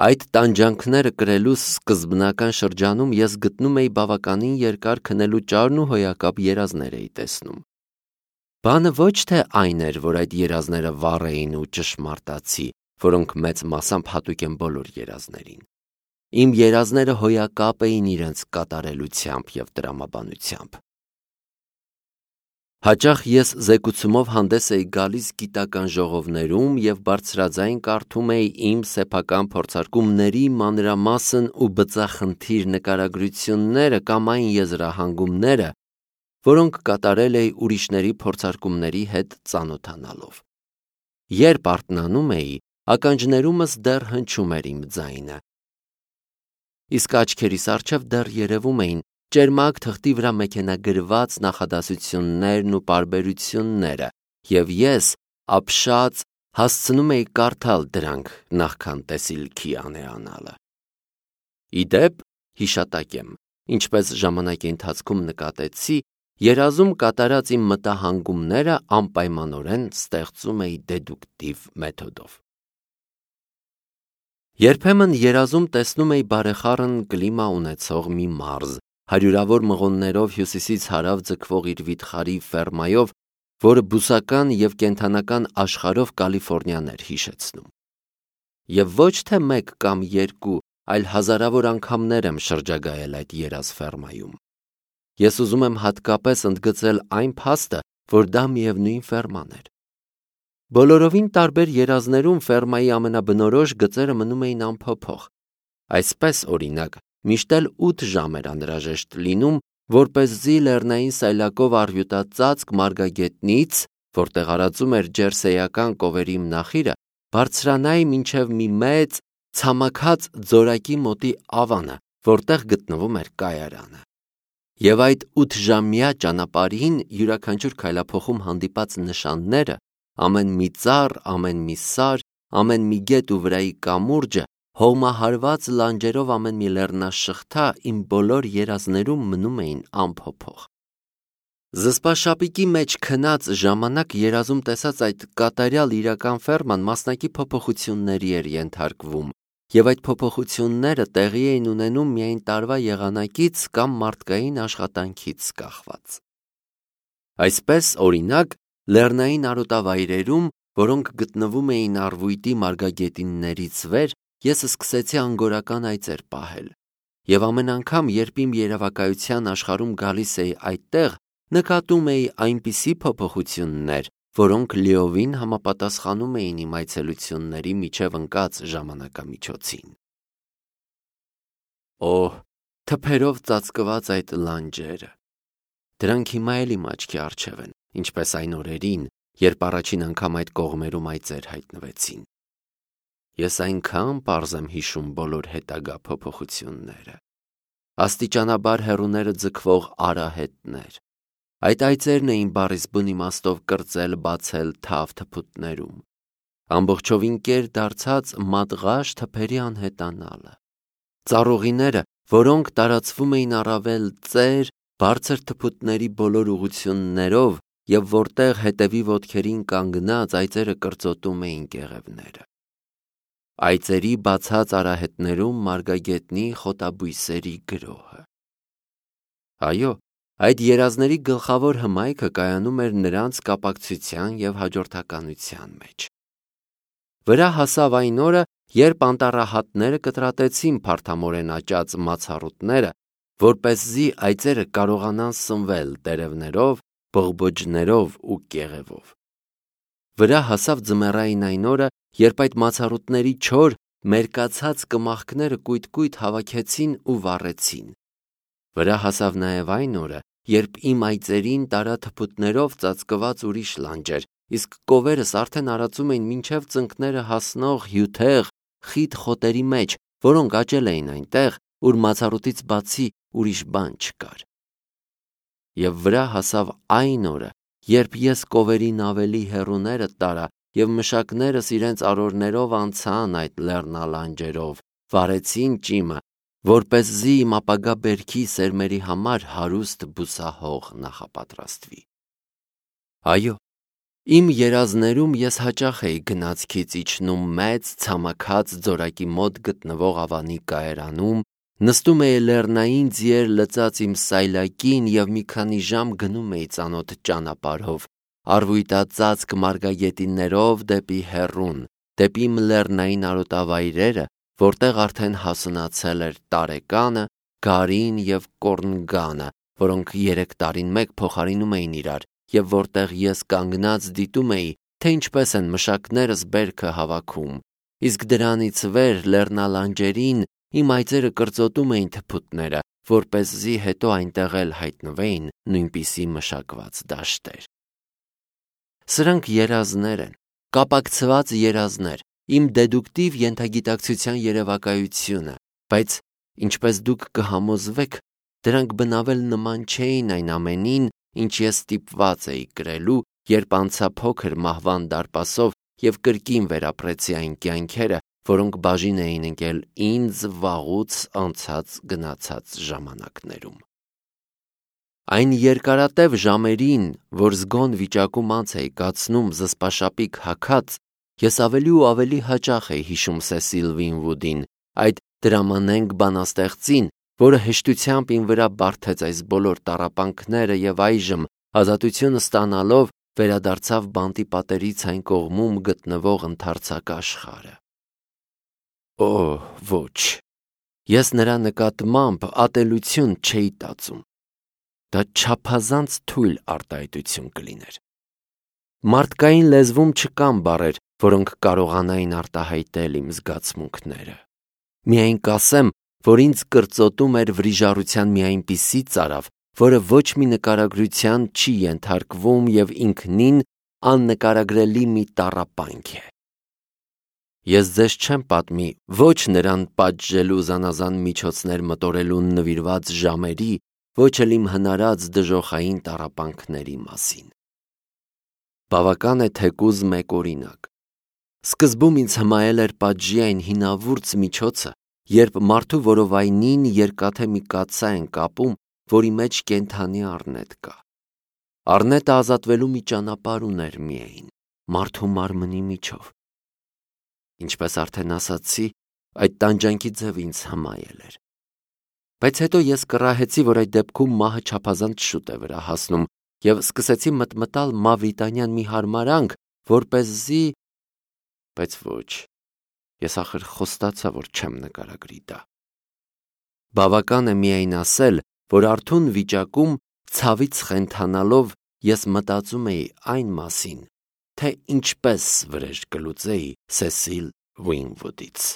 Այդ տանջանքները կրելու սկզբնական շրջանում ես գտնում էի բավականին երկար քնելու ճարն ու հոյակապ երազներ էի տեսնում։ Բանը ոչ թե այն էր, որ այդ երազները վառ էին ու ճշմարտացի, որոնք մեծ մասամբ հատուկ են բոլոր երազներին։ Իմ երազները հոյակապ էին իրենց կատարելությամբ և տրամաբանությամբ։ Հաճախ ես զեկուցումով հանդես էի գալիս գիտական ժողովներում և բարձրաձայն կարդում էի իմ սեփական փորձարկումների մանրամասն ու բծախնդիր նկարագրությունները կամ այն եզրահանգումները, որոնք կատարել էի ուրիշների փորձարկումների հետ ծանոթանալով։ Երբ արթնանում էի, ականջներումս դեռ հնչում էր իմ ձայնը, իսկ աչքերիս առջև դեռ երևում էին ճերմակ թղթի վրա մեքենագրված նախադասություններն ու պարբերությունները, և ես ապշած հասցնում էի կարդալ դրանք նախքան տեսիլքի անելանալը։ Ի դեպ, հիշատակ եմ, ինչպես ժամանակի ընթացքում նկատեցի, երազում կատարած իմ մտահանգումները անպայմանորեն ստեղծում էի դեդուկտիվ մեթոդով։ Երբեմն երազում տեսնում էի բարեխառն կլիմա ունեցող մի մարզ, հարյուրավոր մղոններով հյուսիսից հարավ ձգվող իր վիթխարի ֆերմայով, որը բուսական և կենդանական աշխարհով Կալիֆոռնիան էր հիշեցնում։ Եվ ոչ թե մեկ կամ երկու, այլ հազարավոր անգամներ եմ շրջագայել այդ երազ ֆերմայում։ Ես ուզում եմ հատկապես ընդգծել այն փաստը, որ դա միևնույն ֆերման էր։ Բոլորովին տարբեր երազներում ֆերմայի ամենաբնորոշ գծերը մնում էին անփոփոխ։ Այսպես, օրինակ, միշտ էլ 8 ժամ էր անհրաժեշտ լինում, որպեսզի լեռնային սայլակով առյուտած ծածկ մարգագետնից, որտեղ արածում էր ջերսեյական կովերի մնախիրը, բարձրանայի մինչև մի մեծ, ցամաքած ձորակի մոտի ավանը, որտեղ գտնվում էր կայարանը։ Եվ այդ 8-ժամյա ճանապարհին յուրաքանչյուր քայլափոխում հանդիպած նշանները, ամեն մի ծառ, ամեն մի սար, ամեն մի գետ ու վրայի կամուրջը, հողմահարված լանջերով ամեն մի լեռնաշղթա իմ բոլոր երազներում մնում էին անփոփոխ։ Զսպաշապիկի մեջ քնած ժամանակ երազում տեսած այդ կատարյալ իրական ֆերման մասնակի փոփոխությունների էր ենթարկվում, և այդ փոփոխությունները տեղի էին ունենում միայն տարվա եղանակից կամ մարդկային աշխատանքից կախված։ Այսպես, օրինակ, լեռնային արոտավայրերում, որոնք գտնվում էին առվույտի մարգագետիններից վեր, ես սկսեցի անգորական այծեր պահել, և ամեն անգամ, երբ իմ երևակայության աշխարհում գալիս էի այդտեղ, նկատում էի այնպիսի փոփոխություններ, որոնք լիովին համապատասխանում էին իմ այցելությունների միջև ընկած ժամանակամիջոցին։ Օհ, թփերով ծածկված այդ լանջերը։ Դրանք հիմա էլ իմ աչքի առջև են, ինչպես այն օրերին, երբ առաջին անգամ այդ կողմերում այծեր հայտնվեցին։ Ես այնքան պարզ եմ հիշում բոլոր հետագա փոփոխությունները։ Աստիճանաբար հեռուները ձգվող արահետներ։ Այդ այծերն էին բառիս բուն իմաստով կրծել, բացել թավ թփուտներում։ Ամբողջովին կեր դարձած մատղաշ թփերի անհետանալը։ Ծառուղիները, որոնք տարածվում էին առավել ծեր, բարձր թփուտների բոլոր ուղղություններով և որտեղ հետևի ոտքերին կանգնած այծերը կրծոտում էին կեղևները։ Այծերի բացած արահետներում մարգագետնի խոտաբույսերի գրոհը։ Այո, այդ երազների գլխավոր հմայքը կայանում էր նրանց կապակցության և հաջորդականության մեջ։ Վրա հասավ այն օրը, երբ անտառահատները կտրատեցին փարթամորեն աճած մացառուտները, որպեսզի այծերը կարողանան սնվել տերևներով, բողբոջներով ու կեղևով։ Վրա հասավ ձմեռային այն օրը, երբ այդ մացառուտների չոր, մերկացած կմախքները կույտ-կույտ հավաքեցին ու վառեցին։ Վրա հասավ նաև այն օրը, երբ իմ այծերին տարա թփուտներով ծածկված ուրիշ լանջեր, իսկ կովերս արդեն արածում էին մինչև ծնկները հասնող հյութեղ, խիտ խոտերի մեջ, որոնք աճել էին այնտեղ, ուր մացառուտից բացի ուրիշ բան չկար։ Եվ վրա հասավ այն օրը, երբ ես կովերին ավելի հեռուները տարա և մշակներս իրենց արորներով անցան այդ լեռնալանջերով, վառեցին ճիմը, որպեսզի իմ ապագա բերքի սերմերի համար հարուստ բուսահող նախապատրաստվի։ Այո, Իմ երազներում ես հաճախ էի գնացքից իջնում մեծ, ցամաքած ձորակի մոտ գտնվող ավանի կայարանում, նստում էի լեռնային ձիեր լծած իմ սայլակին և մի քանի ժամ գնում էի ծանոթ ճանապարհով, առվույտածածկ մարգագետիններով դեպի հեռուն, դեպի իմ լեռնային արոտավայրերը, որտեղ արդեն հասունացել էր տարեկանը, գարին և կորնգանը, որոնք 3 տարին մեկ փոխարինում էին իրար, և որտեղ ես կանգնած դիտում էի, թե ինչպես են մշակներս բերքը հավաքում, իսկ դրանից վեր լեռնալանջերին իմ այծերը կրծոտում էին թփուտները, որպեսզի հետո այնտեղ էլ հայտնվեին նույնպիսի մշակված դաշտեր։ Սրանք երազներ են, կապակցված երազներ, իմ դեդուկտիվ ենթագիտակցության երևակայությունը, բայց, ինչպես դուք կհամոզվեք, դրանք բնավել նման չէին այն ամենին, ինչ ես ստիպված էի կրելու, երբ անցա փոքր մահվան դարպասով և կրկին վերապրեցի այն կյանքերը, որոնք բաժին էին ընկել ինձ վաղուց անցած գնացած ժամանակներում։ Այն երկարատև ժամերին, որ զգոն վիճակում անց էի կացնում զսպաշապիկ հագած, ես ավելի ու ավելի հաճախ էի հիշում Սեսիլ Վինվուդին, այդ դրամանենք բանաստեղծին, որը հեշտությամբ իմ վրա բարդեց այս բոլոր տառապանքները և այժմ, ազատություն ստանալով, վերադարձավ բանտի պատերից այն կողմում գտնվող ընդարձակ աշխարհը։ Օ, ոչ, ես նրա նկատմամբ ատելություն չէի տածում։ Դա չափազանց թույլ արտահայտություն կլիներ։ Մարդկային լեզվում չկան բառեր, որոնք կարողանային արտահայտել իմ զգացմունքները։ Միայն կասեմ, որ ինձ կրծոտում էր վրիժառության մի այնպիսի ծարավ, որը ոչ մի նկարագրության չի ենթարկվում և ինքնին աննկարագրելի մի տառապանք է։ Ես ձեզ չեմ պատմի ոչ նրան պատժելու զանազան միջոցներ մտորելուն նվիրված ժամերի, ոչ էլ իմ հնարած դժոխային տառապանքների մասին։ Բավական է թեկուզ մեկ օրինակ։ Սկզբում ինձ հմայել էր պատժի այն հինավուրց միջոցը, երբ մարդու որովայնին երկաթե մի կաթսա են կապում, որի մեջ կենդանի առնետ կա։ Առնետը ազատվելու մի ճանապարհ ուներ միայն մարդու մարմնի միջով։ Ինչպես արդեն ասացի, այդ տանջանքի ձև ինձ հմայել էր։ Բայց հետո ես կռահեցի, որ այդ դեպքում մահը չափազանց շուտ է վրա հասնում, և սկսեցի մտմտալ մավրիտանյան մի հարմարանք, որպեսզի… Բայց ոչ, ես ախր խոստացա, որ չեմ նկարագրի դա։ Բավական է միայն ասել, որ արթուն վիճակում, ցավից խենթանալով, ես մտածում էի այն մասին, թե ինչպես վրեժ կլուծեի Սեսիլ Վինվուդից։